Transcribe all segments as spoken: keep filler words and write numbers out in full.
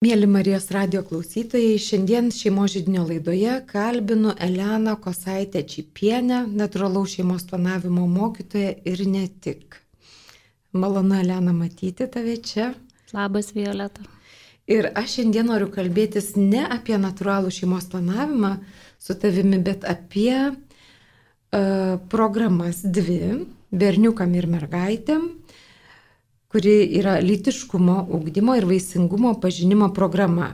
Mėly Marijos radijo klausytojai, šiandien šeimos židinio laidoje kalbinu Eleną Kosaitę Čypienę, natūralaus šeimos planavimo mokytoją ir ne tik. Malonu, Elena, matyti tave čia. Labas, Violeta. Ir aš šiandien noriu kalbėtis ne apie natūralų šeimos planavimą su tavimi, bet apie uh, programas dvi, berniukam ir mergaitėm, kuri yra lytiškumo, ugdymo ir vaisingumo pažinimo programa.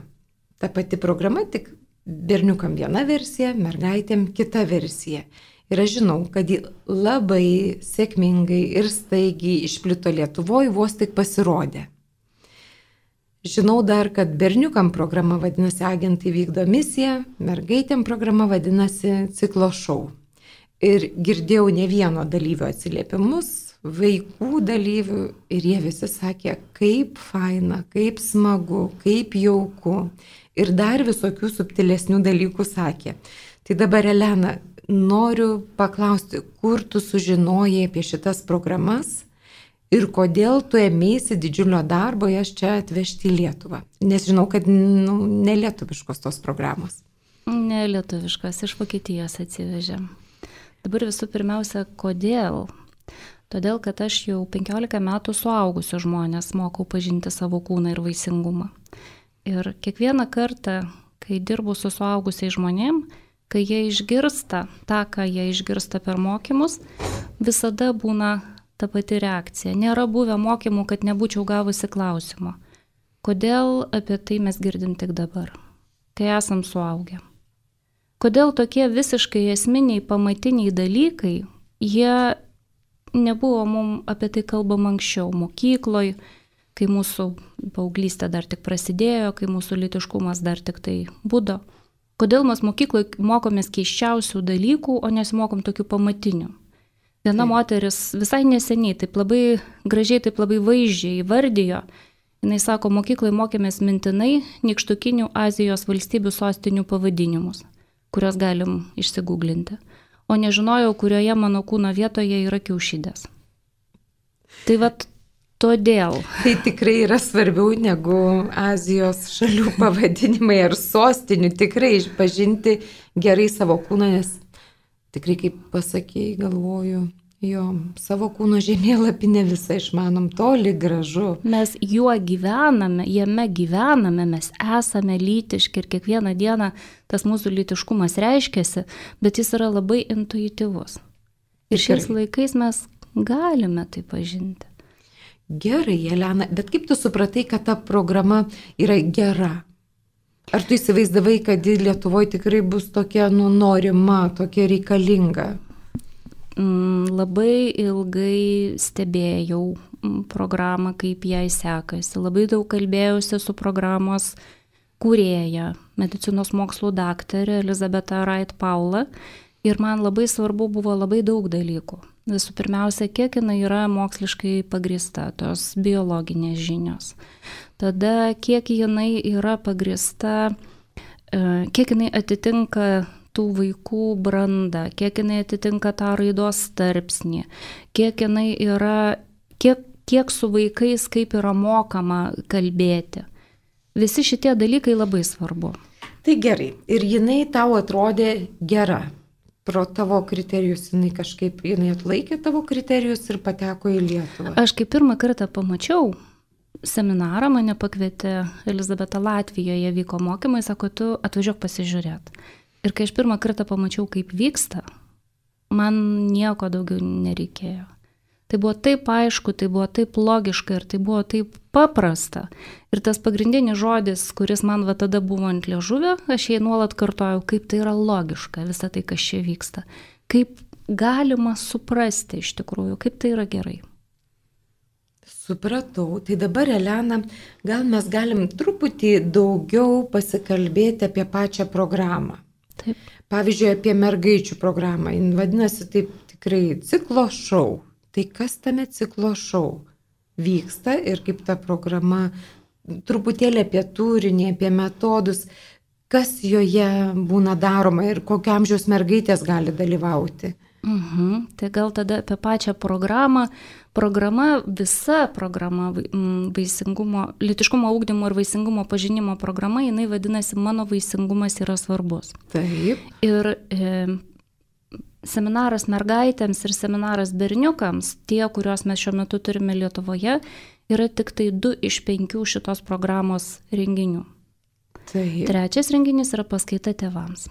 Ta pati programa, tik berniukam viena versija, mergaitėm kita versija. Ir aš žinau, kad ji labai sėkmingai ir staigiai išplito Lietuvoje, vos tik pasirodė. Žinau dar, kad berniukam programa vadinasi Agentai vykdo misiją, mergaitėm programa vadinasi Ciklo šou. Ir girdėjau ne vieno dalyvio atsiliepimus, vaikų dalyvių, ir jie visi sakė, kaip faina, kaip smagu, kaip jauku. Ir dar visokių subtilesnių dalykų sakė. Tai dabar, Elena, noriu paklausti, kur tu sužinojai apie šitas programas ir kodėl tu ėmėsi didžiulio darbo jas čia atvežti į Lietuvą. Nes žinau, kad nu, nelietuviškos tos programos. Nelietuviškos, iš Vokietijos atsivežėm. Dabar visų pirmiausia, kodėl? Todėl, kad aš jau penkiolika metų suaugusių žmonės mokau pažinti savo kūną ir vaisingumą. Ir kiekvieną kartą, kai dirbu su suaugusiais žmonėm, kai jie išgirsta tą, ką jie išgirsta per mokymus, visada būna ta pati reakcija. Nėra buvę mokymų, kad nebūčiau gavusi klausimo. Kodėl apie tai mes girdim tik dabar, kai esam suaugę? Kodėl tokie visiškai esminiai, pamatiniai dalykai, jie nebuvo mums apie tai kalbama anksčiau, mokykloje, kai mūsų paauglystė dar tik prasidėjo, kai mūsų lytiškumas dar tik tai būdo. Kodėl mes mokykloje mokomės keiščiausių dalykų, o nesimokom tokių pamatinių? Viena tai. Moteris visai neseniai, taip labai gražiai, taip labai vaizdžiai įvardijo, jinai sako, mokykloje mokėmės mintinai nykštukinių Azijos valstybių sostinių pavadinimus, kuriuos galim išsigūglinti. O nežinojau, kurioje mano kūno vietoje yra kiaušidės. Tai vat todėl. Tai tikrai yra svarbiau negu Azijos šalių pavadinimai ar sostinių. Tikrai išpažinti gerai savo kūną, nes tikrai, kaip pasakėjai, galvoju, jo, savo kūno žemėlapį ne visą išmanom, toli gražu. Mes juo gyvename, jame gyvename, mes esame lytiški ir kiekvieną dieną tas mūsų lytiškumas reiškiasi, bet jis yra labai intuityvus. Ir šiais laikais mes galime tai pažinti. Gerai, Elena, bet kaip tu supratai, kad ta programa yra gera? Ar tu įsivaizdavai, kad Lietuvoje tikrai bus tokia nu, norima, tokia reikalinga? Labai ilgai stebėjau programą, kaip jai sekasi. Labai daug kalbėjausi su programos kūrėja, medicinos mokslų daktarė Elizabeta Wright Paula. Ir man labai svarbu buvo labai daug dalykų. Visų pirmiausia, kiek jinai yra moksliškai pagrįsta, tos biologinės žinios. Tada, kiek jinai yra pagrįsta, kiek jinai atitinka tų vaikų brandą, kiek jinai atitinka tą raidos tarpsnį, kiek jinai yra, kiek, kiek su vaikais, kaip yra mokama kalbėti. Visi šitie dalykai labai svarbu. Tai gerai. Ir jinai tau atrodė gera. Pro tavo kriterijus jinai kažkaip, jinai atlaikė tavo kriterijus ir pateko į Lietuvą. Aš kaip pirmą kartą pamačiau seminarą, mane pakvietė Elizabeta Latvijoje, vyko mokymai, sako, tu atvažiuok pasižiūrėt. Ir kai aš pirmą kartą pamačiau, kaip vyksta, man nieko daugiau nereikėjo. Tai buvo taip aišku, tai buvo taip logiška ir tai buvo taip paprasta. Ir tas pagrindinis žodis, kuris man va tada buvo ant liežuvio, aš jai nuolat kartojau, kaip tai yra logiška, visa tai, kas čia vyksta. Kaip galima suprasti iš tikrųjų, kaip tai yra gerai. Supratau. Tai dabar, Elena, gal mes galim truputį daugiau pasikalbėti apie pačią programą. Taip. Pavyzdžiui, apie mergaičių programą. Jis vadinasi taip tikrai Ciklo šou. Tai kas tame Ciklo šou vyksta ir kaip ta programa, truputėlį apie turinį, apie metodus, kas joje būna daroma ir kokio amžiaus mergaitės gali dalyvauti? Mhm. Tai gal tada apie pačią programą. Programa, visa programa, vaisingumo, lytiškumo ugdymo ir vaisingumo pažinimo programa, jinai vadinasi Mano vaisingumas yra svarbus. Taip. Ir e, seminaras mergaitėms ir seminaras berniukams, tie, kuriuos mes šiuo metu turime Lietuvoje, yra tik tai du iš penkių šitos programos renginių. Taip. Trečias renginys yra paskaita tėvams.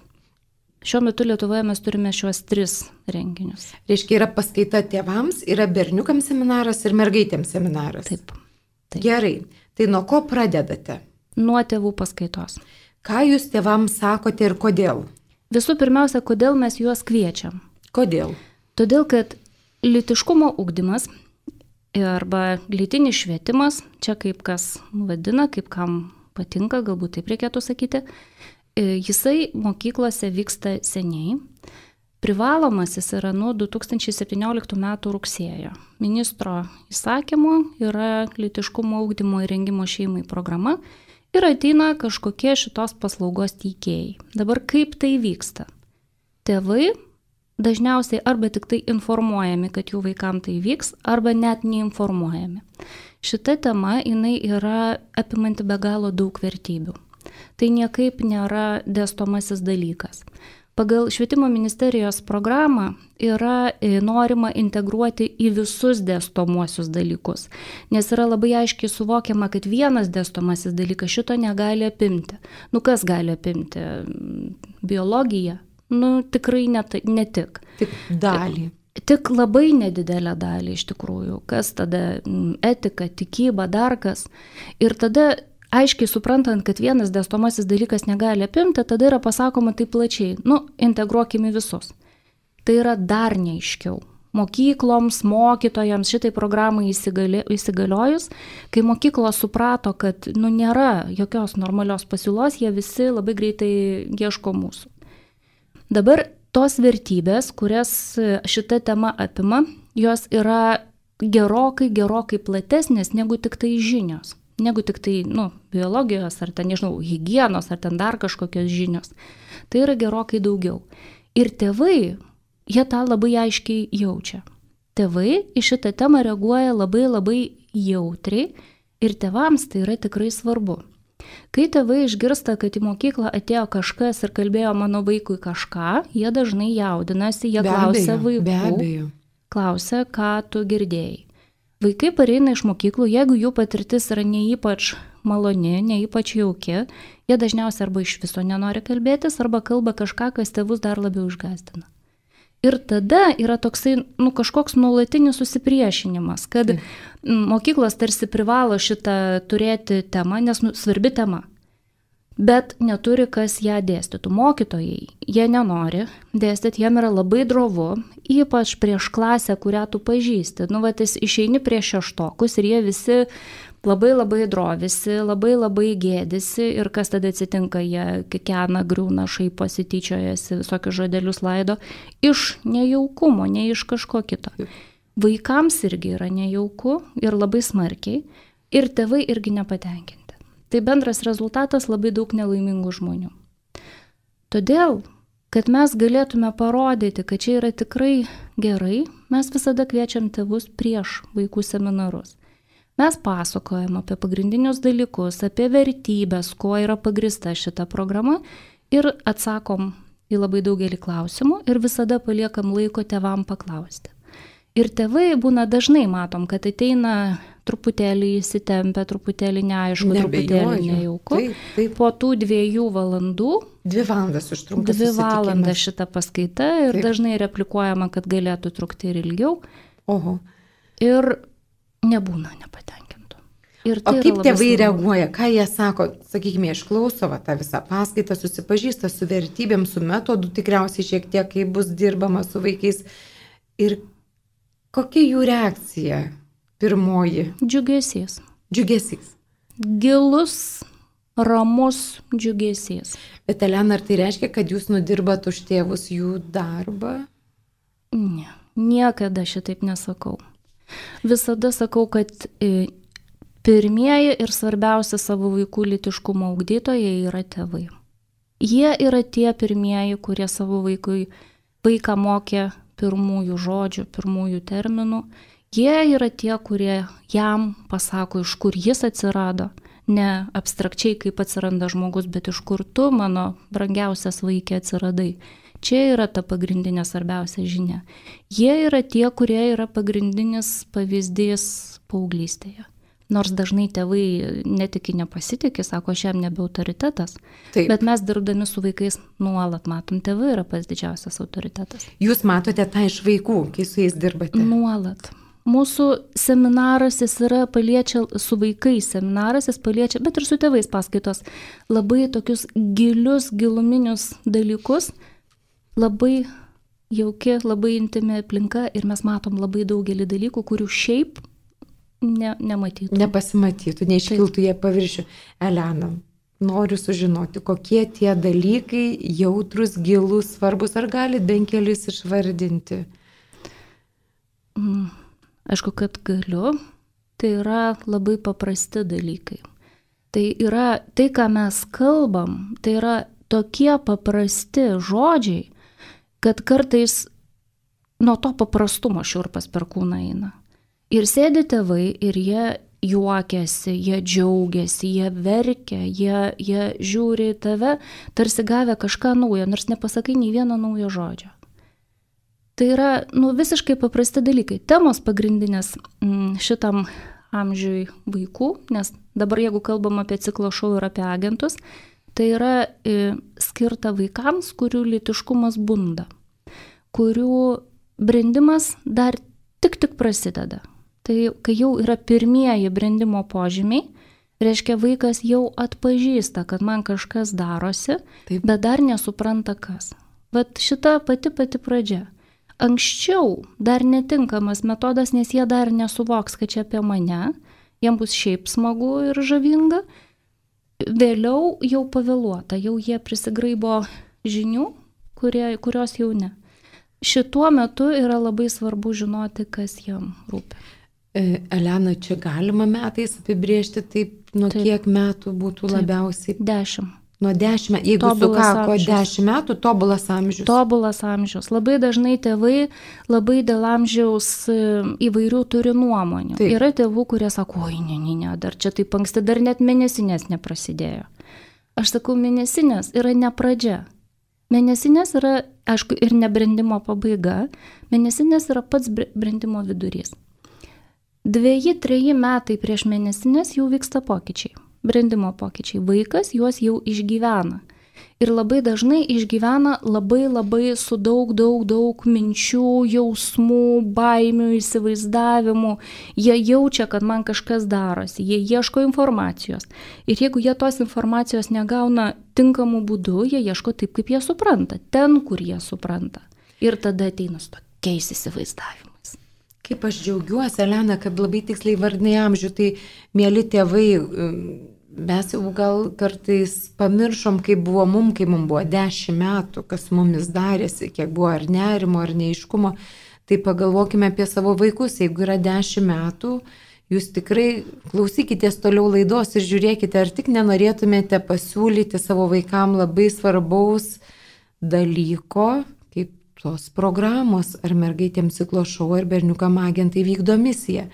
Šiuo metu Lietuvoje mes turime šiuos tris renginius. Reiškia, yra paskaita tėvams, yra berniukams seminaras ir mergaitėms seminaras. Taip. Taip. Gerai. Tai nuo ko pradedate? Nuo tėvų paskaitos. Ką jūs tėvams sakote ir kodėl? Visų pirmiausia, kodėl mes juos kviečiam? Kodėl? Todėl, kad lytiškumo ugdymas arba lytinis švietimas, čia kaip kas vadina, kaip kam patinka, galbūt taip reikėtų sakyti, jisai mokyklose vyksta seniai. Privalomas jis yra nuo du tūkstančiai septynioliktų metų rugsėjo. Ministro įsakymu yra lytiškumo ugdymo ir rengimo šeimai programa ir ateina kažkokie šitos paslaugos teikėjai. Dabar kaip tai vyksta? Tėvai dažniausiai arba tik tai informuojami, kad jų vaikam tai vyks, arba net neinformuojami. Šita tema jinai yra apimanti be galo daug vertybių. Tai niekaip nėra dėstomasis dalykas. Pagal Švietimo ministerijos programą yra norima integruoti į visus dėstomuosius dalykus, nes yra labai aiškiai suvokiama, kad vienas dėstomasis dalykas šito negali apimti. Nu kas gali apimti? Biologija? Nu tikrai ne, ne tik. Tik dalį. Tik labai nedidelę dalį iš tikrųjų. Kas tada? Etika, tikyba, dar kas. Ir tada aiškiai suprantant, kad vienas dėstomasis dalykas negali apimti, tada yra pasakoma taip plačiai, nu, integruokime visus. Tai yra dar neaiškiau. Mokykloms, mokytojams šitai programai įsigali, įsigaliojus, kai mokyklos suprato, kad nu, nėra jokios normalios pasiūlos, jie visi labai greitai ieško mūsų. Dabar tos vertybės, kurias šita tema apima, jos yra gerokai, gerokai platesnės negu tik tai žinios. Negu tik tai, nu, biologijos, ar ten, nežinau, higienos, ar ten dar kažkokios žinios. Tai yra gerokai daugiau. Ir tėvai, jie tą labai aiškiai jaučia. Tėvai į šitą temą reaguoja labai labai jautriai ir tėvams tai yra tikrai svarbu. Kai tėvai išgirsta, kad į mokyklą atėjo kažkas ir kalbėjo mano vaikui kažką, jie dažnai jaudinasi, jie be klausia abejo, vaikų, be abejo. Klausia, ką tu girdėjai. Vaikai pareina iš mokyklų, jeigu jų patirtis yra ne ypač maloni, ne ypač jauki, jie dažniausiai arba iš viso nenori kalbėtis, arba kalba kažką, kas tėvus dar labiau išgąsdina. Ir tada yra toksai, nu, kažkoks nuolatinis susipriešinimas, kad mokyklos tarsi privalo šitą turėti temą, nes nu, svarbi tema. Bet neturi kas ją dėstytų. Mokytojai, jie nenori dėstyti, jiem yra labai drovu, ypač prieš klasę, kurią tu pažįsti. Nu, va, jis išeini prieš šeštokus ir jie visi labai labai drovisi, labai labai gėdisi ir kas tada atsitinka, jie kikena, griūna, šaiposi, tyčiojasi, visokius žodelius laido iš nejaukumo, ne iš kažko kito. Vaikams irgi yra nejauku ir labai smarkiai ir tėvai irgi nepatenkinti. Tai bendras rezultatas labai daug nelaimingų žmonių. Todėl, kad mes galėtume parodyti, kad čia yra tikrai gerai, mes visada kviečiam tėvus prieš vaikų seminarus. Mes pasakojam apie pagrindinius dalykus, apie vertybės, kuo yra pagrįsta šita programa ir atsakom į labai daugelį klausimų ir visada paliekam laiko tėvam paklausti. Ir tėvai būna dažnai matom, kad ateina truputėlį įsitempę, truputėlį neaišku, truputėlį nejauku. Taip, taip. Po tų dviejų valandų, dvi valandas užtrunka dvi valandas šita paskaita ir taip. Dažnai replikuojama, kad galėtų trukti ir ilgiau. Oho. Ir nebūna nepatenkintų. Ir tai o kaip tėvai svarbu. reaguoja, ką jie sako, sakykime, išklauso va, tą visą paskaitą, susipažįsta su vertybėm, su metodu, tikriausiai šiek tiek, kai bus dirbama su vaikais. Ir kokia jų reakcija pirmoji? Džiugesys. Džiugesys. Gilus, ramus džiugesys. Bet Elena, ar tai reiškia, kad jūs nudirbat už tėvus jų darbą? Ne, niekada šitaip nesakau. Visada sakau, kad pirmieji ir svarbiausia savo vaikų lytiškumo ugdytojai yra tėvai. Jie yra tie pirmieji, kurie savo vaikui, vaiką mokė pirmųjų žodžių, pirmųjų terminų. Jie yra tie, kurie jam pasako, iš kur jis atsirado. Ne abstrakčiai, kaip atsiranda žmogus, bet iš kur tu, mano brangiausias vaikė, atsiradai. Čia yra ta pagrindinė svarbiausia žinia. Jie yra tie, kurie yra pagrindinis pavyzdys paauglystėje. Nors dažnai tėvai netiki, nepasitikė, sako, aš jam nebe autoritetas. Taip. Bet mes dirbdami su vaikais nuolat matom, tėvai yra pats didžiausias autoritetas. Jūs matote tą iš vaikų, kai su jais dirbate? Nuolat. Mūsų seminaras, jis yra paliečia, su vaikais seminaras, jis paliečia, bet ir su tėvais paskaitos, labai tokius gilius, giluminius dalykus, labai jauki, labai intimi aplinka ir mes matom labai daugelį dalykų, kurių šiaip ne, nematytų. Nepasimatytų, neiškiltų jie paviršių. Elena, noriu sužinoti, kokie tie dalykai jautrus, gilus, svarbus, ar galit bent kelis išvardinti? Mm. Aišku, kad galiu, tai yra labai paprasti dalykai. Tai yra, tai ką mes kalbam, tai yra tokie paprasti žodžiai, kad kartais nuo to paprastumo šiurpas per kūną eina. Ir sėdi tėvai ir jie juokiasi, jie džiaugiasi, jie verkia, jie, jie žiūri į tave, tarsi gavę kažką naujo, nors nepasakai nei vieno naujo žodžio. Tai yra nu, visiškai paprasti dalykai. Temos pagrindinės m, šitam amžiui vaikų, nes dabar jeigu kalbam apie ciklo šou ir apie agentus, tai yra e, skirta vaikams, kurių lytiškumas bunda, kurių brendimas dar tik tik prasideda. Tai kai jau yra pirmieji brendimo požymiai, reiškia vaikas jau atpažįsta, kad man kažkas darosi, taip, bet dar nesupranta kas. Vat šita pati pati pradžia. Anksčiau dar netinkamas metodas, nes jie dar nesuvoks, kad čia apie mane, jiems bus šiaip smagu ir žavinga. Vėliau jau pavėluota, jau jie prisigraibo žinių, kurie, kurios jau ne. Šituo metu yra labai svarbu žinoti, kas jam rūpi. Elena, čia galima metais apibrėžti taip, nuo taip, kiek metų būtų taip, labiausiai? Dešimt. Nuo dešimt, jeigu sukako dešimt metų, tobulas amžius. Tobulas amžius. Labai dažnai tėvai labai dėl amžiaus įvairių turi nuomonių. Taip. Yra tėvų, kurie sako, oi, ne, ne, ne, dar čia taip anksti, dar net mėnesinės neprasidėjo. Aš sakau, mėnesinės yra ne pradžia. Mėnesinės yra, aišku, ir nebrendimo pabaiga. Mėnesinės yra pats brendimo vidurys. Dveji, treji metai prieš mėnesinės jau vyksta pokyčiai. Brendimo pokyčiai. Vaikas juos jau išgyvena. Ir labai dažnai išgyvena labai labai su daug, daug, daug minčių, jausmų, baimių, įsivaizdavimų. Jie jaučia, kad man kažkas darosi. Jie ieško informacijos. Ir jeigu jie tos informacijos negauna tinkamų būdų, jie ieško taip, kaip jie supranta. Ten, kur jie supranta. Ir tada ateina su tokiais įsivaizdavimais. Kaip aš džiaugiuosi, Elena, kad labai tiksliai vardinai amžių, tai mėly tėvai, mes jau gal kartais pamiršom, kaip buvo mum, kai mum buvo dešimt metų, kas mumis darėsi, kiek buvo ar nerimo, ar neiškumo, tai pagalvokime apie savo vaikus, jeigu yra dešimt metų, jūs tikrai klausykitės toliau laidos ir žiūrėkite, ar tik nenorėtumėte pasiūlyti savo vaikam labai svarbaus dalyko, kaip tos programos, ar mergaitėms ciklo šou, ar berniukam agentai vykdo misiją.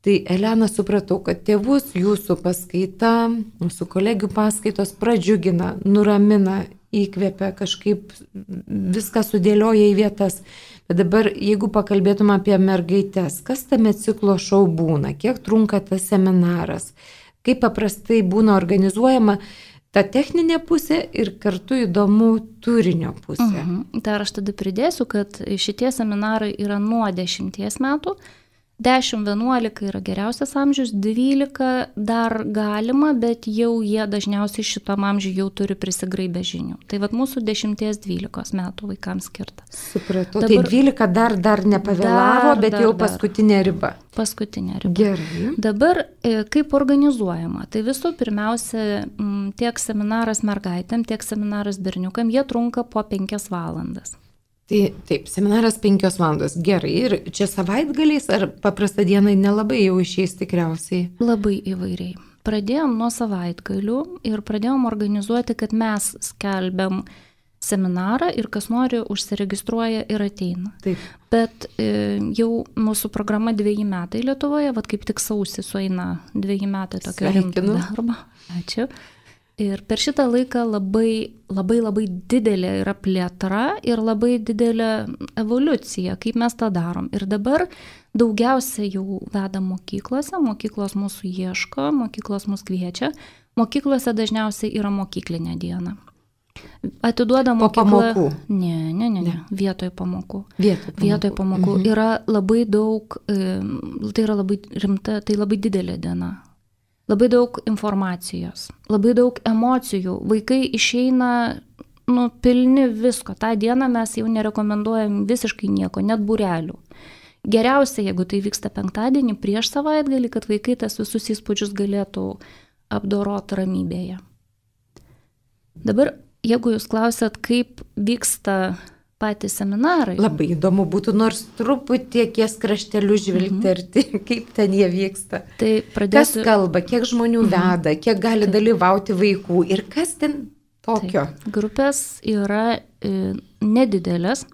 Tai Elena, supratau, kad tėvus jūsų paskaita, mūsų kolegių paskaitos pradžiugina, nuramina, įkvepia, kažkaip viską sudėlioja į vietas. Bet dabar, jeigu pakalbėtume apie mergaites, kas tame ciklo šou būna, kiek trunka tas seminaras, kaip paprastai būna organizuojama ta techninė pusė ir kartu įdomu turinio pusė. Mhm. Tai aš tada pridėsiu, kad šitie seminarai yra nuo dešimties metų, dešimt vienuolika yra geriausias amžius, dvylika dar galima, bet jau jie dažniausiai šitam amžiui jau turi prisigraibę žinių. Tai vat mūsų dešimties dvylikos metų vaikams skirta. Supratau, dabar, tai dvylika dar, dar nepavėlavo, dar, bet dar, jau paskutinė riba. Paskutinė riba. Gerai. Dabar kaip organizuojama? Tai visų pirmiausia, tiek seminaras mergaitėm, tiek seminaras berniukam, jie trunka po penkias valandas. Tai taip, seminaras penkios valandos. Gerai. Ir čia savaitgaliais ar paprastą dieną nelabai jau išeis tikriausiai? Labai įvairiai. Pradėjom nuo savaitgalių ir pradėjom organizuoti, kad mes skelbiam seminarą ir kas nori užsiregistruoja ir ateina. Taip. Bet e, jau mūsų programa dviejį metai Lietuvoje, vat kaip tik sausį sueina dviejį metai tokio rimto darbo. Ačiū. Ir per šitą laiką labai, labai, labai didelė yra plėtra ir labai didelė evoliucija, kaip mes tą darom. Ir dabar daugiausia jau vedam mokyklose, mokyklos mūsų ieško, mokyklos mūsų kviečia. Mokyklose dažniausiai yra mokyklinė diena. Atiduoda mokyklą. Po pamokų? Ne, ne, ne, ne. Vietoj pamokų. Vietoj pamokų. Vietoj pamokų. Mhm. Yra labai daug, tai yra labai rimta, tai labai didelė diena. Labai daug informacijos, labai daug emocijų. Vaikai išeina, nu, pilni visko. Ta diena mes jau nerekomenduojam visiškai nieko, net būrelių. Geriausia, jeigu tai vyksta penktadienį prieš savaitgalį, kad vaikai tas visus įspūdžius galėtų apdoroti ramybėje. Dabar, jeigu jūs klausėt, kaip vyksta patys seminarai. Labai įdomu būtų nors truputį kies kraštelių žvilgterti, mm-hmm. kaip ten jie vyksta. Tai pradėsiu... Kas kalba, kiek žmonių mm-hmm. veda, kiek gali Taip. Dalyvauti vaikų ir kas ten tokio? Taip. Grupės yra e, nedidelės,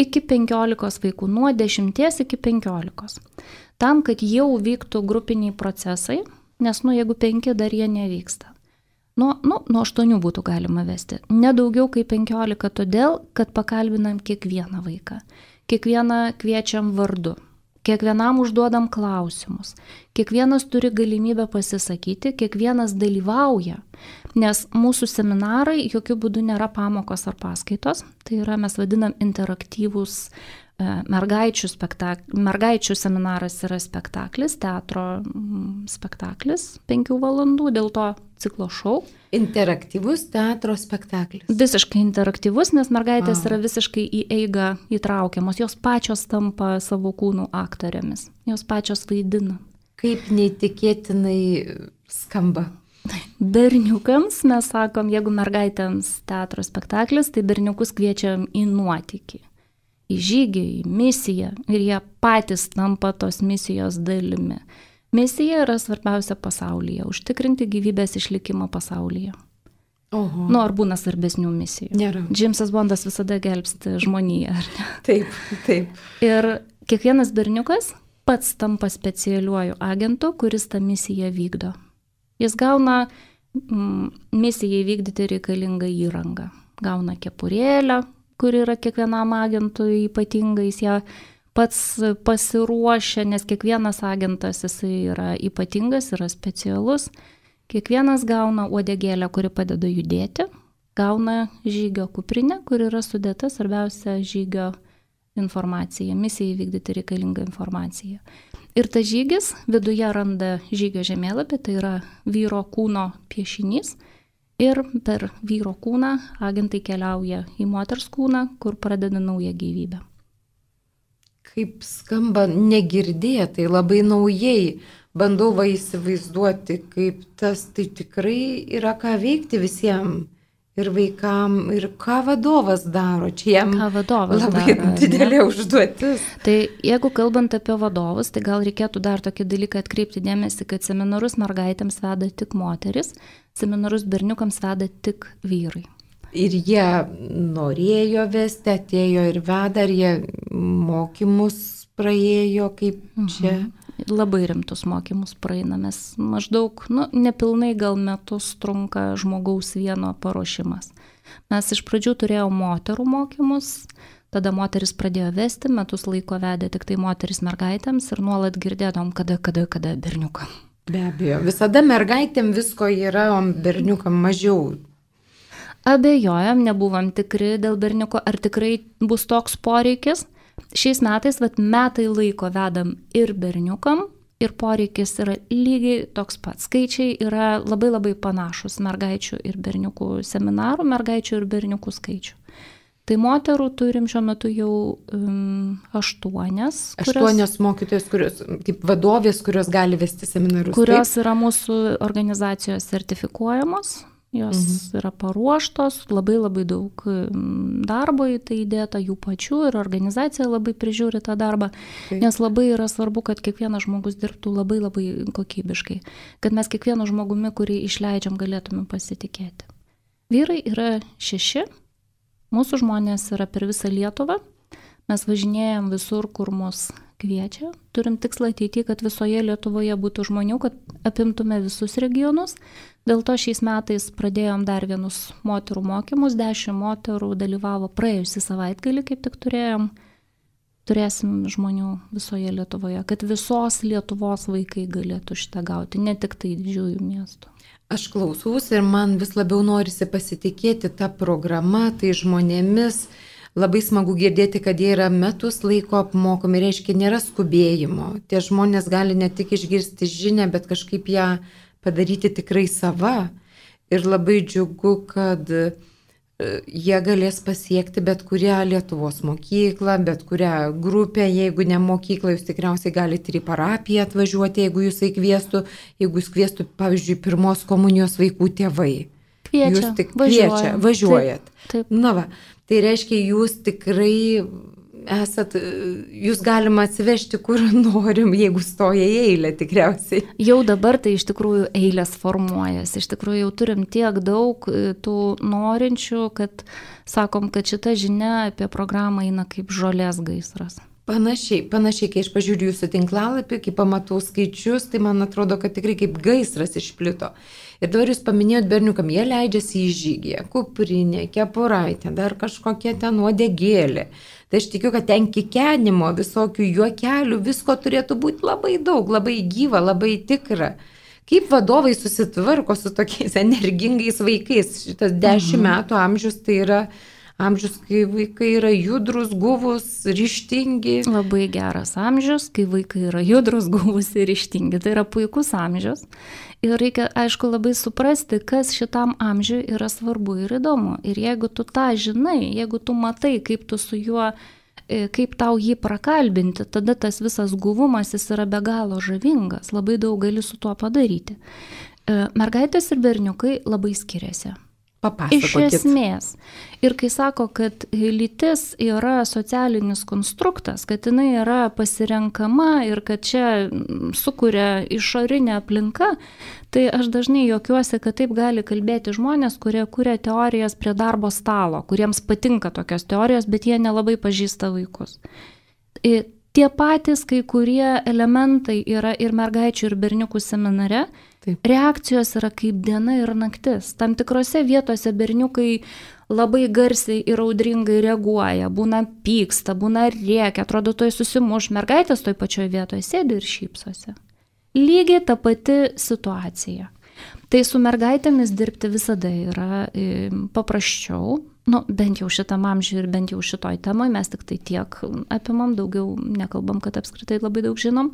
iki penkiolikos vaikų, nuo dešimties iki penkiolikos. Tam, kad jau vyktų grupiniai procesai, nes, nu, jeigu penki dar jie nevyksta. Nuo, nu, nuo aštuonių būtų galima vesti. Nedaugiau kaip penkiolika, todėl, kad pakalbinam kiekvieną vaiką. Kiekvieną kviečiam vardu. Kiekvienam užduodam klausimus. Kiekvienas turi galimybę pasisakyti, kiekvienas dalyvauja. Nes mūsų seminarai jokių būdų nėra pamokos ar paskaitos. Tai yra, mes vadinam interaktyvūs mergaičių spektaklis. Mergaičių seminaras yra spektaklis, teatro spektaklis penkių valandų, dėl to ciklo šou. Interaktyvus teatro spektaklis. Visiškai interaktyvus, nes mergaitės wow. yra visiškai į eigą įtraukiamos. Jos pačios tampa savo kūnų aktorėmis. Jos pačios vaidina. Kaip neįtikėtinai skamba. Berniukams mes sakom, jeigu mergaitėms teatro spektaklis, tai berniukus kviečiam į nuotykį. Į žygį, į misiją ir jie patys tampa tos misijos dalimi. Misija yra svarbiausia pasaulyje, užtikrinti gyvybės išlikimą pasaulyje. Oho. Nu, ar būna svarbesnių misijų? Nėra. Džeimsas Bondas visada gelbsti žmoniją, ar ne? Taip, taip. Ir kiekvienas berniukas pats tampa specialiuoju agentu, kuris tą misiją vykdo. Jis gauna mm, misijai vykdyti reikalingą įrangą. Gauna kepurėlę, kur yra kiekvienam agentui ypatingai, jis ją pats pasiruošia, nes kiekvienas agentas jisai yra ypatingas, yra specialus. Kiekvienas gauna uodegėlę, kuri padeda judėti, gauna žygio kuprinę, kur yra sudėta svarbiausia žygio informacija, misijai vykdyti reikalingą informaciją. Ir tas žygis viduje randa žygio žemėlapį, tai yra vyro kūno piešinys. Ir per vyro kūną agentai keliauja į moters kūną, kur pradeda naują gyvybę. Kaip skamba negirdėtai, labai naujai. Bandau va įsivaizduoti, kaip tas tai tikrai yra ką veikti visiems. Ir vaikam, ir ką vadovas daro. Čia jam labai daro, didelė ne? Užduotis. Tai jeigu kalbant apie vadovus, tai gal reikėtų dar tokį dalyką atkreipti dėmesį, kad seminarus mergaitėms veda tik moteris, seminarus berniukams veda tik vyrai. Ir jie norėjo vesti, atėjo ir veda, ar jie mokymus praėjo, kaip čia? Mhm. Labai rimtus mokymus praeina, mes maždaug, nu, nepilnai gal metus trunka žmogaus vieno paruošimas. Mes iš pradžių turėjome moterų mokymus, tada moteris pradėjo vesti, metus laiko vedė tik tai moteris mergaitėms ir nuolat girdėdom, kada, kada, kada berniukam. Be abejo, visada mergaitėm visko yra, o berniukam mažiau. Abejojam, nebuvom tikri dėl berniuko, ar tikrai bus toks poreikis. Šiais metais, vat, metai laiko vedam ir berniukam, ir poreikis yra lygiai toks pats. Skaičiai yra labai labai panašus mergaičių ir berniukų seminarų, mergaičių ir berniukų skaičių. Tai moterų turim šiuo metu jau um, aštuonias. Kurios, aštuonios mokytojos, kurios, kaip vadovės, kurios gali vesti seminarus. Kurios taip? Yra mūsų organizacijos sertifikuojamos. Jos mhm. yra paruoštos, labai labai daug darbo į tai įdėta jų pačių ir organizacija labai prižiūri tą darbą, taip. Nes labai yra svarbu, kad kiekvienas žmogus dirbtų labai labai kokybiškai, kad mes kiekvienu žmogumi, kurį išleidžiam, galėtume pasitikėti. Vyrai yra šeši, Mūsų žmonės yra per visą Lietuvą. Mes važinėjom visur, kur mus kviečia. Turim tikslą ateityje, kad visoje Lietuvoje būtų žmonių, kad apimtume visus regionus. Dėl to šiais metais pradėjom dar vienus moterų mokymus. Dešimt moterų dalyvavo praėjusį savaitgalį, kaip tik turėjom. Turėsim žmonių visoje Lietuvoje, kad visos Lietuvos vaikai galėtų šitą gauti, ne tik tai didžiųjų miestų. Aš klausausi ir man vis labiau norisi pasitikėti tą programą, tai žmonėmis. Labai smagu girdėti, kad jie yra metus laiko apmokomi, reiškia, nėra skubėjimo. Tie žmonės gali ne tik išgirsti žinią, bet kažkaip ją padaryti tikrai sava. Ir labai džiugu, kad jie galės pasiekti bet kurią Lietuvos mokyklą, bet kurią grupę. Jeigu ne mokyklą, jūs tikriausiai galite ir į parapiją atvažiuoti, jeigu jūs įkviestų, jeigu jūs kviestų, pavyzdžiui, pirmos komunijos vaikų tėvai. Kviečia, jūs tik kviečia, važiuojat. Taip, taip. Na va, tai reiškia, jūs tikrai esat, jūs galima atsivežti kur norim, jeigu stoja į eilę tikriausiai. Jau dabar tai iš tikrųjų eilės formuojasi. Iš tikrųjų jau turim tiek daug tų norinčių, kad sakom, kad šita žinia apie programą eina kaip žolės gaisras. Panašiai, panašiai, kai aš pažiūriu jūsų tinklalapį, kai pamatau skaičius, tai man atrodo, kad tikrai kaip gaisras išplito. Ir dabar jūs paminėjot berniukam, jie leidžiasi į žygį, kuprinė, kepuraitė, dar kažkokia ten uodegėlė. Tai aš tikiu, kad ten kikenimo, visokių juokelių, visko turėtų būti labai daug, labai gyva, labai tikra. Kaip vadovai susitvarko su tokiais energingais vaikais? Šitas dešimt metų amžius tai yra amžius, kai vaikai yra judrus, guvus, ryžtingi. Labai geras amžius, kai vaikai yra judrus, guvus ir ryžtingi. Tai yra puikus amžius. Ir reikia, aišku, labai suprasti, kas šitam amžiui yra svarbu ir įdomu. Ir jeigu tu tą žinai, jeigu tu matai, kaip tu su juo, kaip tau jį prakalbinti, tada tas visas guvumas jis yra be galo žavingas. Labai daug gali su tuo padaryti. Mergaitės ir berniukai labai skiriasi. Papasakokit. Iš esmės. Ir kai sako, kad lytis yra socialinis konstruktas, kad jinai yra pasirenkama ir kad čia sukuria išorinė aplinka, tai aš dažnai juokiuosi, kad taip gali kalbėti žmonės, kurie kuria teorijas prie darbo stalo, kuriems patinka tokios teorijos, bet jie nelabai pažįsta vaikus. Tie patys kai kurie elementai yra ir mergaičių, ir berniukų seminare. Taip. Reakcijos yra kaip diena ir naktis. Tam tikrose vietose berniukai labai garsiai ir audringai reaguoja, būna pyksta, būna rėkia, atrodo, toj susimuš, mergaitės toj pačioj vietoje sėdi ir šypsosi. Lygiai ta pati situacija. Tai su mergaitėmis dirbti visada yra e, paprasčiau. Nu, bent jau šitam amžiui ir bent jau šitoj temoj mes tik tai tiek apimam, daugiau nekalbam, kad apskritai labai daug žinom,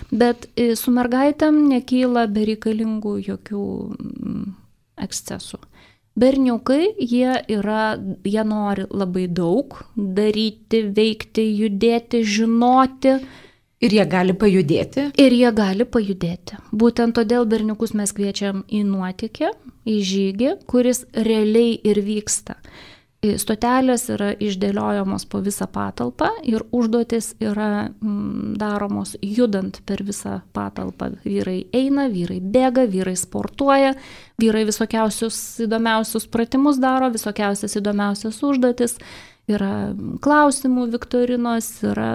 bet su mergaitėm nekyla bereikalingų jokių ekscesų. Berniukai, jie yra, jie nori labai daug daryti, veikti, judėti, žinoti. Ir jie gali pajudėti? Ir jie gali pajudėti. Būtent todėl berniukus mes kviečiam į nuotykį, į žygį, kuris realiai ir vyksta. Stotelės yra išdėliojamos po visą patalpą ir užduotis yra mm, daromos judant per visą patalpą. Vyrai eina, vyrai bėga, vyrai sportuoja, vyrai visokiausius įdomiausius pratimus daro, visokiausias įdomiausias užduotis. Yra klausimų viktorinos, yra,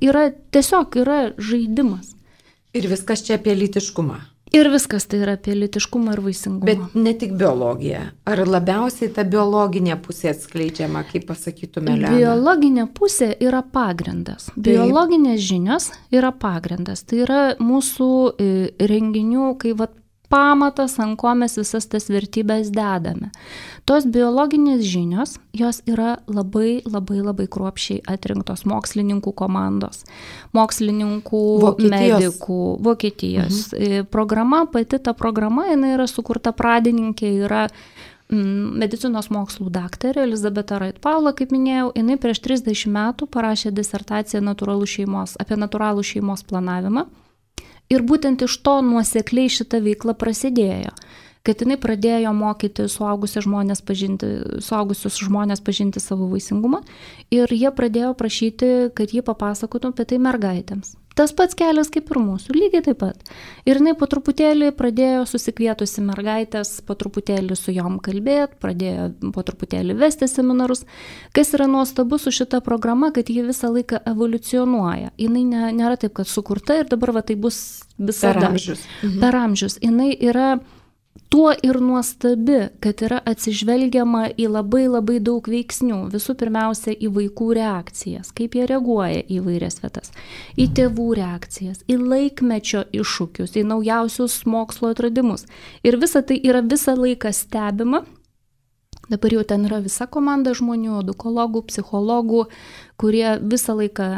yra tiesiog yra žaidimas. Ir viskas čia apie lytiškumą. Ir viskas tai yra apie lytiškumą ir vaisingumą. Bet ne tik biologija. Ar labiausiai ta biologinė pusė atskleidžiama, kaip pasakytume, Lena? Biologinė pusė yra pagrindas. Taip. Biologinės žinios yra pagrindas. Tai yra mūsų renginių, kai vat, pamatas, ant ko mes visas tas vertybės dedame. Tos biologinės žinios, jos yra labai, labai, labai kruopščiai atrinktos mokslininkų komandos, mokslininkų, Vokietijos. medikų, Vokietijos. Mhm. Programa, pati ta programa, jinai yra sukurta pradininkė, yra mm, medicinos mokslų daktarė Elizabeta Wright-Paula, kaip minėjau, jinai prieš trisdešimt metų parašė disertaciją natūralų šeimos, apie natūralų šeimos planavimą. Ir būtent iš to nuosekliai šita veikla prasidėjo, kad jinai pradėjo mokyti suaugusius žmonės pažinti, suaugusius žmonės pažinti savo vaisingumą ir jie pradėjo prašyti, kad jie papasakotų apie tai mergaitėms. Tas pats kelias kaip ir mūsų, lygiai taip pat. Ir jinai po truputėlį pradėjo susikvietusi mergaitės, po truputėlį su jom kalbėti, pradėjo po truputėlį vesti seminarus. Kas yra nuostabu su šita programa, kad ji visą laiką evoliucionuoja. Jinai ne, nėra taip, kad sukurta ir dabar va, tai bus visada. Per amžius. Mhm. Per amžius. Jinai yra tuo ir nuostabi, kad yra atsižvelgiama į labai labai daug veiksnių. Visų pirmiausia, į vaikų reakcijas, kaip jie reaguoja į vairias vietas, į tėvų reakcijas, į laikmečio iššūkius, į naujausius mokslo atradimus. Ir visa tai yra visą laiką stebima. Dabar jau ten yra visa komanda žmonių, edukologų, psichologų, kurie visą laiką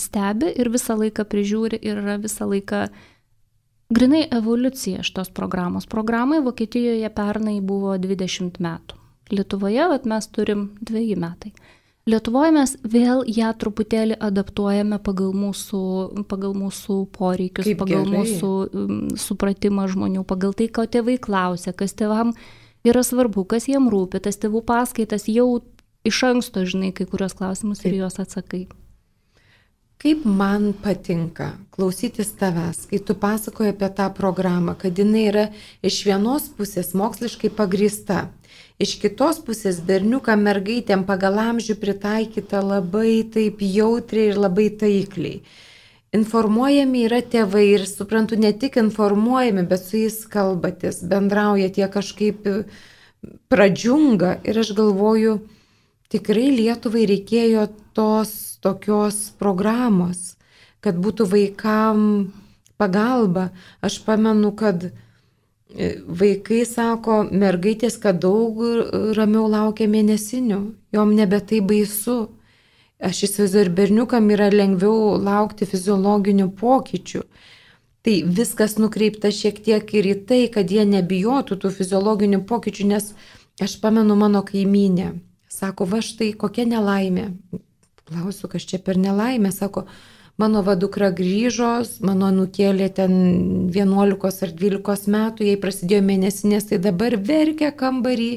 stebi ir visą laiką prižiūri ir yra visą laiką grinai evoliucija šitos programos. Programai Vokietijoje pernai buvo dvidešimt metų. Lietuvoje vat, mes turim dveji metai. Lietuvoje mes vėl ją truputėlį adaptuojame pagal mūsų, pagal mūsų poreikius, Kaip pagal gerai. mūsų um, supratimą žmonių, pagal tai, ko tėvai klausia, kas tėvam yra svarbu, kas jiem rūpi, tas tėvų paskaitas jau iš anksto žinai kai kurios klausimus ir juos atsakai. Kaip man patinka klausytis tavęs, kai tu pasakoji apie tą programą, kad jinai yra iš vienos pusės moksliškai pagrįsta, iš kitos pusės berniukam, mergaitėm pagal amžių pritaikyta labai taip jautriai ir labai taikliai. Informuojami yra tėvai ir suprantu, ne tik informuojami, bet su jais kalbatės, bendrauja, tie kažkaip pradžiunga ir aš galvoju, tikrai Lietuvai reikėjo tos tokios programos, kad būtų vaikam pagalba. Aš pamenu, kad vaikai sako, mergaitės, kad daug ramiau laukia mėnesinių, jom nebe tai baisu. Aš įsivaizduoju, ir berniukam yra lengviau laukti fiziologinių pokyčių. Tai viskas nukreipta šiek tiek ir į tai, kad jie nebijotų tų fiziologinių pokyčių, nes aš pamenu mano kaimynę. Sako, va štai kokia nelaimė. Klausiu, kas čia per nelaimė. Sako, mano va dukra grįžo, mano nukėlė ten vienuolikos ar dvylikos metų, jai prasidėjo mėnesinės, tai dabar verkia kambarį,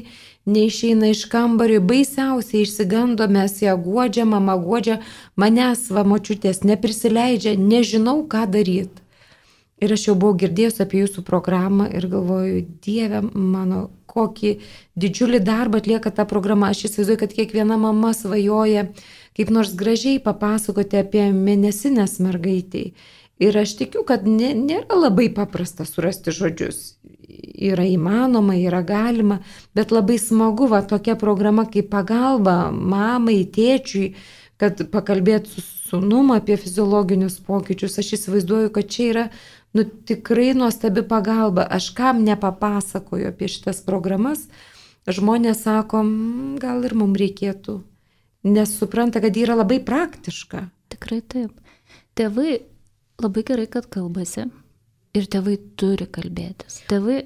neišeina iš kambario, baisiausiai išsigando, mes ją guodžia, mama guodžia, manęs va močiutės neprisileidžia, nežinau ką daryti. Ir aš jau buvau girdėjus apie jūsų programą ir galvoju, Dieve mano, kokį didžiulį darbą atlieka ta programa. Aš įsivaizduoju, kad kiekviena mama svajoja kaip nors gražiai papasakoti apie mėnesinės mergaitei. Ir aš tikiu, kad nė, nėra labai paprasta surasti žodžius. Yra įmanoma, yra galima, bet labai smagu, va, tokia programa kaip pagalba mamai, tėčiui, kad pakalbėt su sūnum apie fiziologinius pokyčius. Aš įsivaizduoju, kad čia yra nu, tikrai nuostabi pagalba. Aš kam nepapasakoju apie šitas programas, žmonės sako, gal ir mums reikėtų, nes supranta, kad yra labai praktiška. Tikrai taip. Tėvai labai gerai, kad kalbasi ir tėvai turi kalbėtis. Tėvai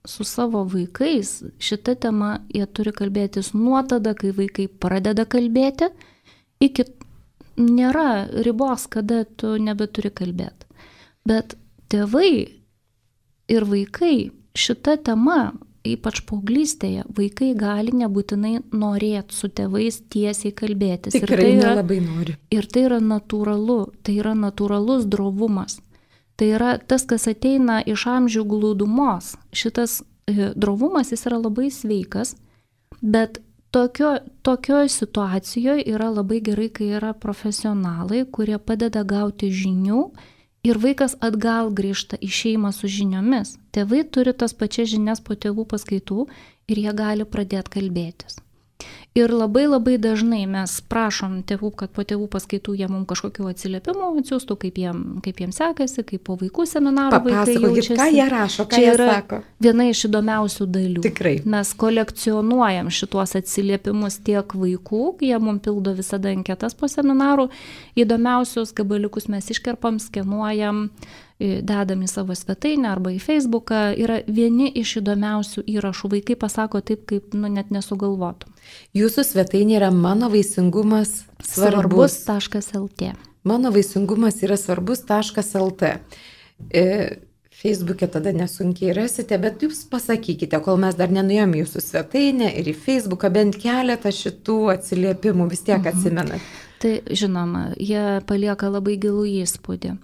su savo vaikais šitą temą jie turi kalbėtis nuo tada, kai vaikai pradeda kalbėti, iki nėra ribos, kada tu nebeturi kalbėti. Bet tėvai ir vaikai šitą temą, ypač paauglystėje, vaikai gali nebūtinai norėti su tėvais tiesiai kalbėtis. Tikrai ir tai yra, nelabai nori. Ir tai yra natūralu, tai yra natūralus drovumas. Tai yra tas, kas ateina iš amžių glūdumos. Šitas e, drovumas jis yra labai sveikas, bet tokio, tokioje situacijoje yra labai gerai, kai yra profesionalai, kurie padeda gauti žinių ir vaikas atgal grįžta į šeimą su žiniomis. Tėvai turi tas pačias žinias po tėvų paskaitų ir jie gali pradėti kalbėtis. Ir labai labai dažnai mes prašom tėvų, kad po tėvų paskaitų jie mums kažkokiu atsiliepimų atsiųstų, kaip jiem, kaip jiem sekasi, kaip po vaikų seminarų vaikai jaučiasi. Ką jie rašo, ką Čia jie yra sako. Viena iš įdomiausių dalių. Tikrai. Mes kolekcionuojam šituos atsiliepimus tiek vaikų, jie mums pildo visada anketas po seminarų, įdomiausius gabaliukus mes iškerpam, skenuojam, dedam į savo svetainę arba į Facebooką, yra vieni iš įdomiausių įrašų. Vaikai pasako taip, kaip nu, net nesugalvotum. Jūsų svetainė yra mano vaisingumas svarbus. svarbus.lt. Mano vaisingumas yra svarbus.lt. E, Facebook'e tada nesunkiai rasite, bet jūs pasakykite, kol mes dar nenuėjom jūsų svetainę ir į Facebooką bent keletą šitų atsiliepimų vis tiek atsimenat. Tai žinoma, jie palieka labai gilų įspūdį.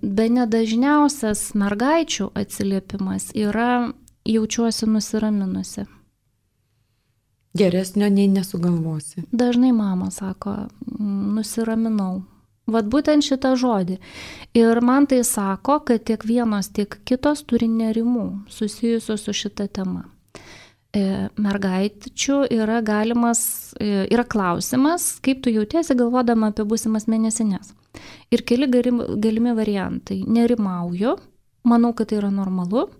Bene dažniausias mergaičių atsiliepimas yra jaučiuosi nusiraminusi. Geresnio nei nesugalvosi. Dažnai mama sako, nusiraminau. Vat būtent šitą žodį. Ir man tai sako, kad tiek vienos, tiek kitos turi nerimų susijusių su šita tema. Mergaičių yra galimas, yra klausimas, kaip tu jautiesi galvodama apie būsimas mėnesinės. Ir keli galimi variantai. Nerimauju, manau, kad tai yra normalu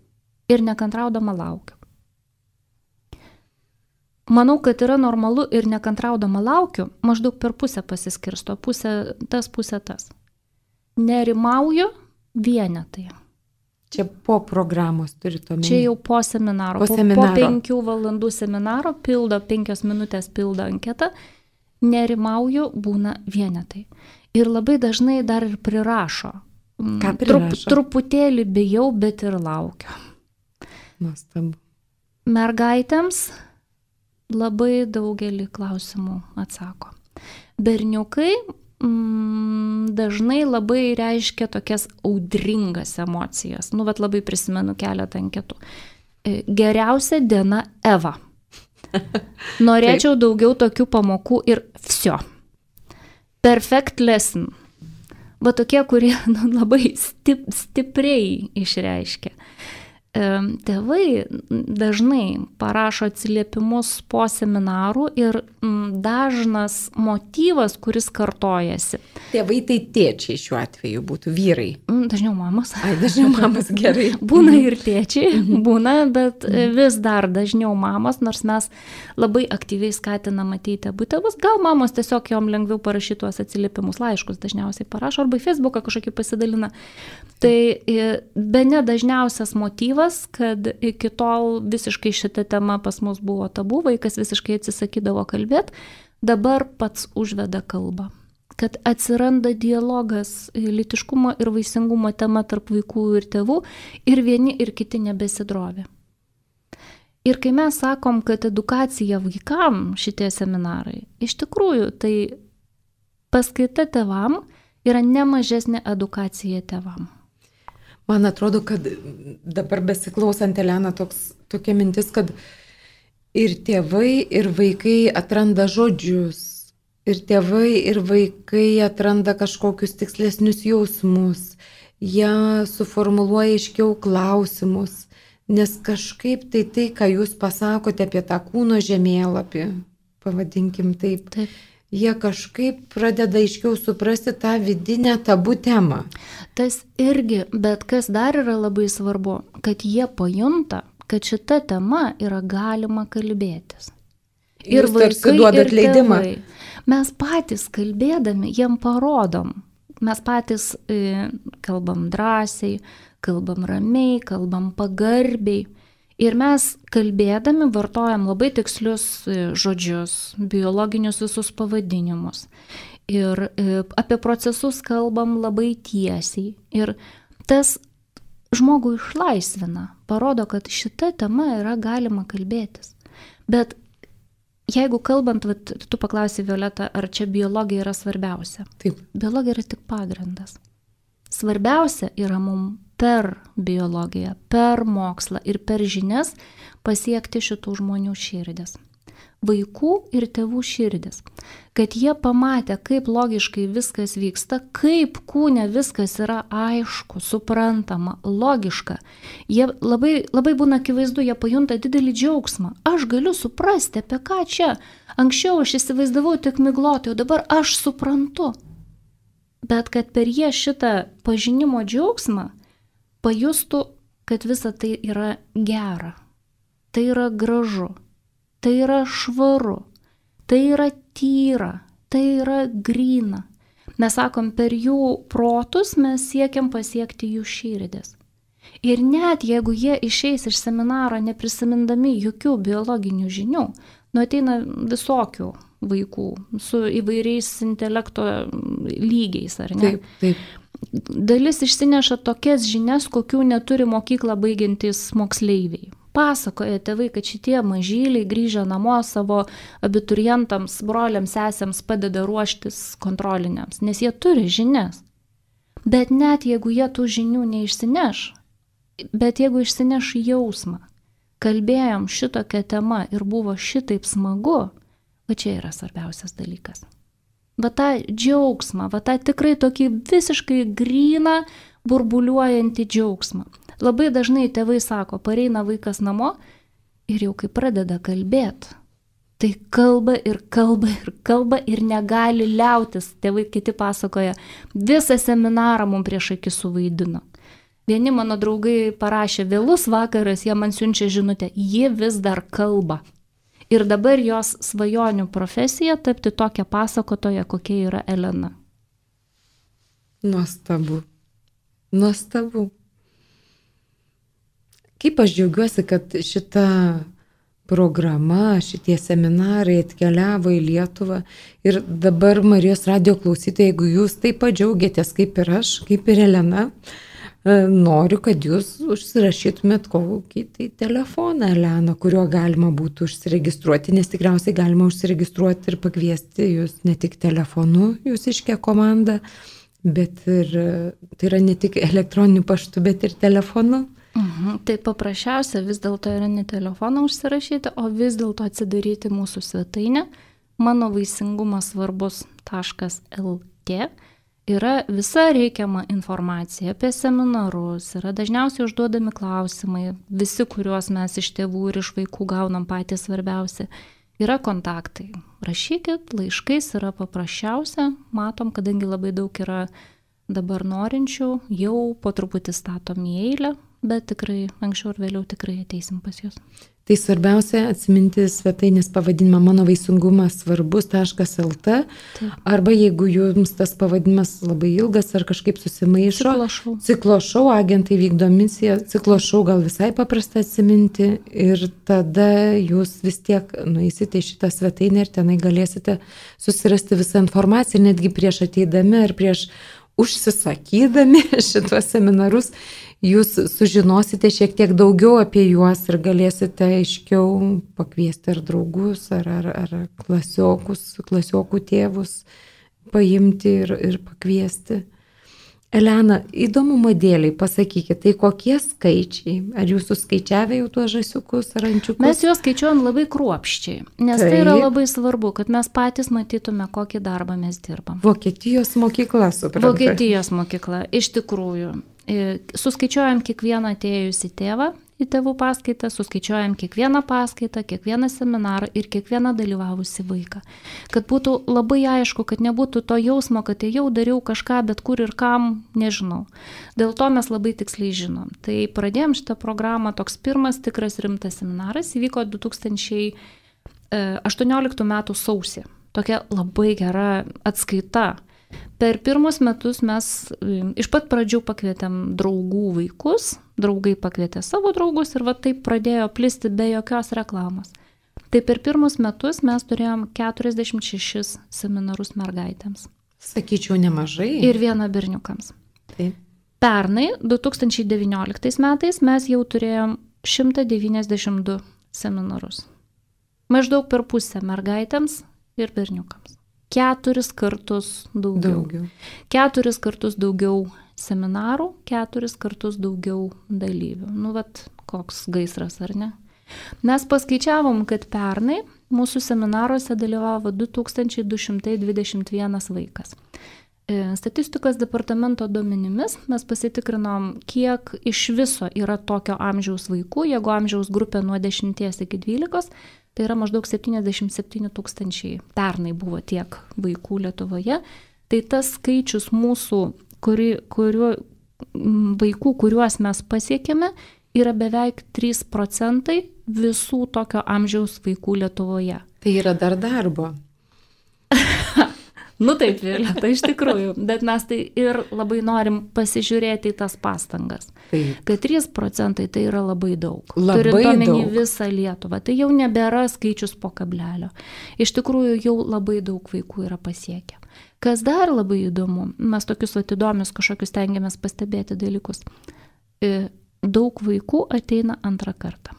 ir nekantraudama laukiu. Manau, kad yra normalu ir nekantraudama laukiu, maždaug per pusę pasiskirsto, pusę tas, pusę tas. Nerimauju vienetai. Čia po programos turite omeny. Čia jau po seminaro. Po, seminaro. po penkių valandų seminaro pildo, penkios minutės pildo anketą. Nerimauju būna vienetai. Ir labai dažnai dar ir prirašo. Ką prirašo? Trup, truputėlį bijau, bet ir laukiu. Nuostabu. Mergaitėms labai daugelį klausimų atsako. Berniukai mm, dažnai labai reiškia tokias audringas emocijas. Nu, vat labai prisimenu keletą anketų. Geriausia diena Eva. Norėčiau daugiau tokių pamokų ir vsio. Perfect lesson. Va tokie, kurie nu, labai stip, stipriai išreiškia. Tėvai dažnai parašo atsiliepimus po seminarų ir dažnas motyvas, kuris kartojasi. Tėvai tai tėčiai šiuo atveju būtų vyrai. Dažniau mamos. Ai, dažniau mamos, gerai. Būna ir tėčiai, būna, bet vis dar dažniau mamos, nors mes labai aktyviai skatinam ateiti abu tėvus. Gal mamos tiesiog jom lengviau parašyti tuos atsiliepimus, laiškus dažniausiai parašo, arba į Facebooką kažkokį pasidalina. Tai bene dažniausias motyvas, kad iki tol visiškai šita tema pas mus buvo tabu, vaikas visiškai atsisakydavo kalbėti, dabar pats užveda kalbą. Kad atsiranda dialogas lytiškumo ir vaisingumo tema tarp vaikų ir tėvų ir vieni ir kiti nebesidrovė. Ir kai mes sakom, kad edukacija vaikam šitie seminarai, iš tikrųjų tai paskaita tėvam yra nemažesnė edukacija tėvam. Man atrodo, kad dabar besiklausant Elena toks, tokia mintis, kad ir tėvai, ir vaikai atranda žodžius, ir tėvai, ir vaikai atranda kažkokius tikslesnius jausmus, jie suformuluoja aiškiau klausimus, nes kažkaip tai tai, ką jūs pasakote apie tą kūno žemėlapį, pavadinkim taip, taip. Jie kažkaip pradeda aiškiau suprasti tą vidinę tabų temą. Tas irgi, bet kas dar yra labai svarbu, kad jie pajunta, kad šita tema yra galima kalbėtis. Ir jūs vaikai, duodat ir leidimą. Tėvai. Mes patys kalbėdami, jiem parodom. Mes patys e, kalbam drąsiai, kalbam ramiai, kalbam pagarbiai. Ir mes kalbėdami vartojam labai tikslius žodžius, biologinius visus pavadinimus. Ir apie procesus kalbam labai tiesiai. Ir tas žmogų išlaisvina, parodo, kad šita tema yra galima kalbėtis. Bet jeigu kalbant, vat, tu paklausai Violeta, ar čia biologija yra svarbiausia? Taip. Biologija yra tik pagrindas. Svarbiausia yra mums per biologiją, per mokslą ir per žinias pasiekti šitų žmonių širdis. Vaikų ir tėvų širdis. Kad jie pamatė, kaip logiškai viskas vyksta, kaip kūne viskas yra aišku, suprantama, logiška. Jie labai, labai būna akivaizdu, jie pajunta didelį džiaugsmą. Aš galiu suprasti, apie ką čia. Anksčiau aš įsivaizdavau tik miglotai, o dabar aš suprantu. Bet kad per jie šitą pažinimo džiaugsmą pajustų, kad visa tai yra gera, tai yra gražu, tai yra švaru, tai yra tyra, tai yra gryna. Mes sakom, per jų protus mes siekiam pasiekti jų širdis. Ir net jeigu jie išeis iš seminaro neprisimindami jokių biologinių žinių, nu ateina visokių vaikų su įvairiais intelekto lygiais, ar ne? Taip, taip. Dalis išsineša tokias žinias, kokių neturi mokyklą baigiantys moksleiviai. pasakoja tėvai, kad šitie mažyliai grįžę namo savo abiturientams, broliams, sesėms padeda ruoštis kontroliniams, nes jie turi žinias. Bet net jeigu jie tų žinių neišsineš, bet jeigu išsineš jausmą, kalbėjom šitokią temą ir buvo šitaip smagu, va čia yra svarbiausias dalykas. Va tą džiaugsmą, va tą tikrai tokį visiškai gryną, burbuliuojantį džiaugsmą. Labai dažnai tėvai sako, pareina vaikas namo ir jau kai pradeda kalbėti, tai kalba ir kalba ir kalba ir negali liautis. Tėvai kiti pasakoja, visą seminarą mums prieš akis suvaidino. Vieni mano draugai parašė, vėlus vakaras, jie man siunčia žinutę, ji vis dar kalba. Ir dabar jos svajonių profesija tapti tokią pasakotoją, kokia yra Elena. Nuostabu. Nuostabu. Kaip aš džiaugiuosi, kad šita programa, šitie seminarai atkeliavo į Lietuvą. Ir dabar Marijos radijo klausytojai, jeigu jūs taip pat džiaugiatės kaip ir aš, kaip ir Elena, noriu, kad jūs užsirašytumėt kokį tai telefoną, Elena, kuriuo galima būtų užsiregistruoti, nes tikriausiai galima užsiregistruoti ir pakviesti jūs ne tik telefonu, jūsiškę komandą, bet ir tai yra ne tik elektroniniu paštu, bet ir telefonu. Mhm. Tai paprasčiausia vis dėlto yra ne telefoną užsirašyti, o vis dėlto atsidaryti mūsų svetainę mano vaisingumas svarbus taškas el tė. Yra visa reikiama informacija apie seminarus, yra dažniausiai užduodami klausimai, visi, kuriuos mes iš tėvų ir iš vaikų gaunam patys svarbiausi. Yra kontaktai. Rašykit, laiškais yra paprasčiausia, matom, kadangi labai daug yra dabar norinčių, jau po truputį statom į eilę, bet tikrai anksčiau ir vėliau tikrai ateisim pas jūs. Tai svarbiausia atsiminti svetainės pavadinimą mano vaisingumas svarbus taškas el tė, arba jeigu jums tas pavadinimas labai ilgas ar kažkaip susimaišo, Ciklošau. Ciklošau, agentai vykdo misiją, Ciklošau gal visai paprasta atsiminti ir tada jūs vis tiek nueisite į šitą svetainę ir tenai galėsite susirasti visą informaciją, netgi prieš ateidami ar prieš užsisakydami šitos seminarus, jūs sužinosite šiek tiek daugiau apie juos ir galėsite aiškiau pakviesti ar draugus, ar, ar, ar klasiokus, klasiokų tėvus paimti ir, ir pakviesti. Elena, įdomumo dėliai, pasakykit, tai kokie skaičiai? Ar jūs suskaičiavę jau tuos žąsiukus ar ančiukus? Mes juos skaičiuojam labai kruopščiai, nes Taip. Tai yra labai svarbu, kad mes patys matytume, kokį darbą mes dirbam. Vokietijos mokykla, suprantu. Vokietijos mokykla, iš tikrųjų. Suskaičiuojam kiekvieną atėjusį tėvą į tėvų paskaitą, suskaičiuojam kiekvieną paskaitą, kiekvieną seminarą ir kiekvieną dalyvavusį vaiką. Kad būtų labai aišku, kad nebūtų to jausmo, kad jau dariau kažką, bet kur ir kam, nežinau. Dėl to mes labai tiksliai žinom. Tai pradėjom šitą programą, toks pirmas tikras rimtas seminaras įvyko du tūkstančiai aštuonioliktų metų sausį. Tokia labai gera atskaita. Per pirmus metus mes iš pat pradžių pakvietėm draugų vaikus, draugai pakvietė savo draugus ir va taip pradėjo plisti be jokios reklamos. Tai per pirmus metus mes turėjom keturiasdešimt šešis seminarus mergaitėms. Sakyčiau, nemažai. Ir vieną berniukams. Taip. Pernai, du tūkstančiai devynioliktais metais, mes jau turėjom šimtą devyniasdešimt du seminarus. Maždaug per pusę mergaitėms ir berniukams. Keturis kartus daugiau. daugiau. Keturis kartus daugiau seminarų, keturis kartus daugiau dalyvių. Nu, vat, koks gaisras, ar ne? Mes paskaičiavom, kad pernai mūsų seminaruose dalyvavo du tūkstančiai du šimtai dvidešimt vienas vaikas. Statistikos departamento duomenimis mes pasitikrinom, kiek iš viso yra tokio amžiaus vaikų, jeigu amžiaus grupė nuo dešimties iki dvylikos, tai yra maždaug septyniasdešimt septyni tūkstančiai. Pernai buvo tiek vaikų Lietuvoje. Tai tas skaičius mūsų, kuri, kuriuo, vaikų, kuriuos mes pasiekėme, yra beveik trys procentai visų tokio amžiaus vaikų Lietuvoje. Tai yra dar darbo. Nu taip, Violeta, iš tikrųjų, bet mes tai ir labai norim pasižiūrėti į tas pastangas. Taip. Kad trys procentai tai yra labai daug. Labai Turint omeny daug. Visą Lietuvą, tai jau nebėra skaičius po kablelio. Iš tikrųjų, jau labai daug vaikų yra pasiekę. Kas dar labai įdomu, mes tokius įdomius kažkokius tengiamės pastebėti dalykus. Daug vaikų ateina antrą kartą.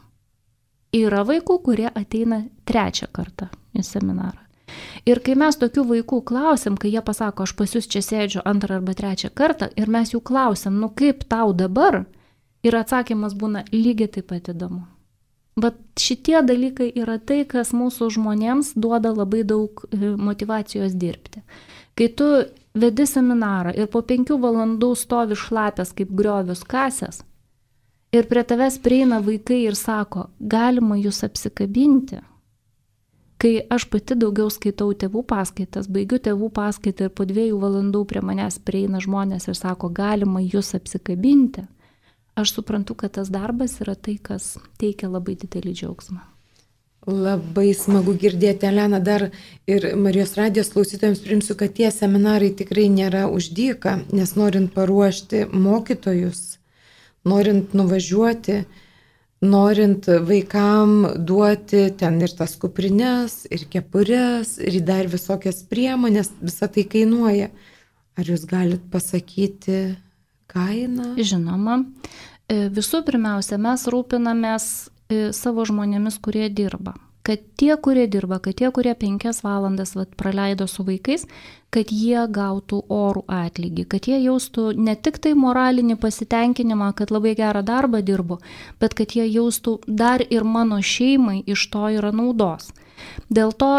Yra vaikų, kurie ateina trečią kartą į seminarą. Ir kai mes tokių vaikų klausim, kai jie pasako, aš pas jūs čia sėdžiu antrą arba trečią kartą, ir mes jų klausim, nu kaip tau dabar, ir atsakymas būna lygiai taip pat įdomu. Bet šitie dalykai yra tai, kas mūsų žmonėms duoda labai daug motyvacijos dirbti. Kai tu vedi seminarą ir po penkių valandų stovi šlapės kaip griovius kasės, ir prie tavęs prieina vaikai ir sako, galima jūs apsikabinti. Kai aš pati daugiau skaitau tėvų paskaitas, baigiu tėvų paskaitą ir po dviejų valandų prie manęs prieina žmonės ir sako, galima jūs apsikabinti, aš suprantu, kad tas darbas yra tai, kas teikia labai didelį džiaugsmą. Labai smagu girdėti, Elena, dar ir Marijos radijos klausytojams primsiu, kad tie seminarai tikrai nėra už dyką, nes norint paruošti mokytojus, norint nuvažiuoti, norint vaikam duoti ten ir tas kuprines, ir kepures, ir dar visokias priemonės, visą tai kainuoja. Ar jūs galit pasakyti kainą? Žinoma. Visų pirmiausia, mes rūpinamės savo žmonėmis, kurie dirba. Kad tie, kurie dirba, kad tie, kurie penkias valandas vat, praleido su vaikais, kad jie gautų orų atlygį, kad jie jaustų ne tik tai moralinį pasitenkinimą, kad labai gerą darbą dirbu, bet kad jie jaustų dar ir mano šeimai iš to yra naudos. Dėl to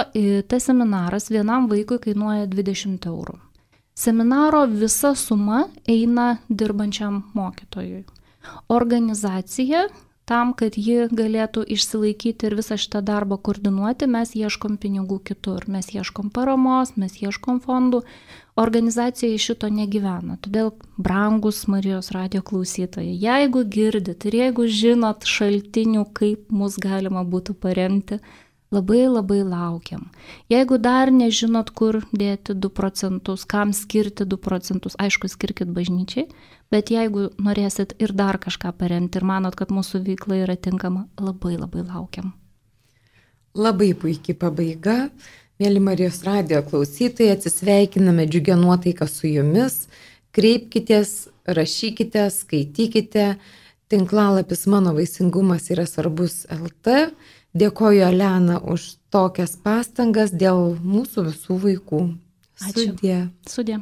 tas seminaras vienam vaikui kainuoja dvidešimt eurų. Seminaro visa suma eina dirbančiam mokytojui. Organizacija, tam, kad ji galėtų išsilaikyti ir visą šitą darbą koordinuoti, mes ieškom pinigų kitur, mes ieškom paramos, mes ieškom fondų. Organizacija iš šito negyvena. Todėl, brangus Marijos radijo klausytojai, jeigu girdit ir jeigu žinot šaltinių, kaip mus galima būtų paremti, labai labai laukiam. Jeigu dar nežinot, kur dėti du procentus, kam skirti du procentus, aišku, skirkit bažnyčiai, bet jeigu norėsit ir dar kažką paremti ir manot, kad mūsų veikla yra tinkama, labai labai laukiam. Labai puikiai pabaiga. Mėly Marijos radijo klausytojai, atsisveikiname džiugia nuotaika su jumis. Kreipkitės, rašykite, skaitykite. Tinklalapis Mano vaisingumas yra svarbus L T. Dėkoju, Elena, už tokias pastangas dėl mūsų visų vaikų. Ačiū. Sudie. Sudie.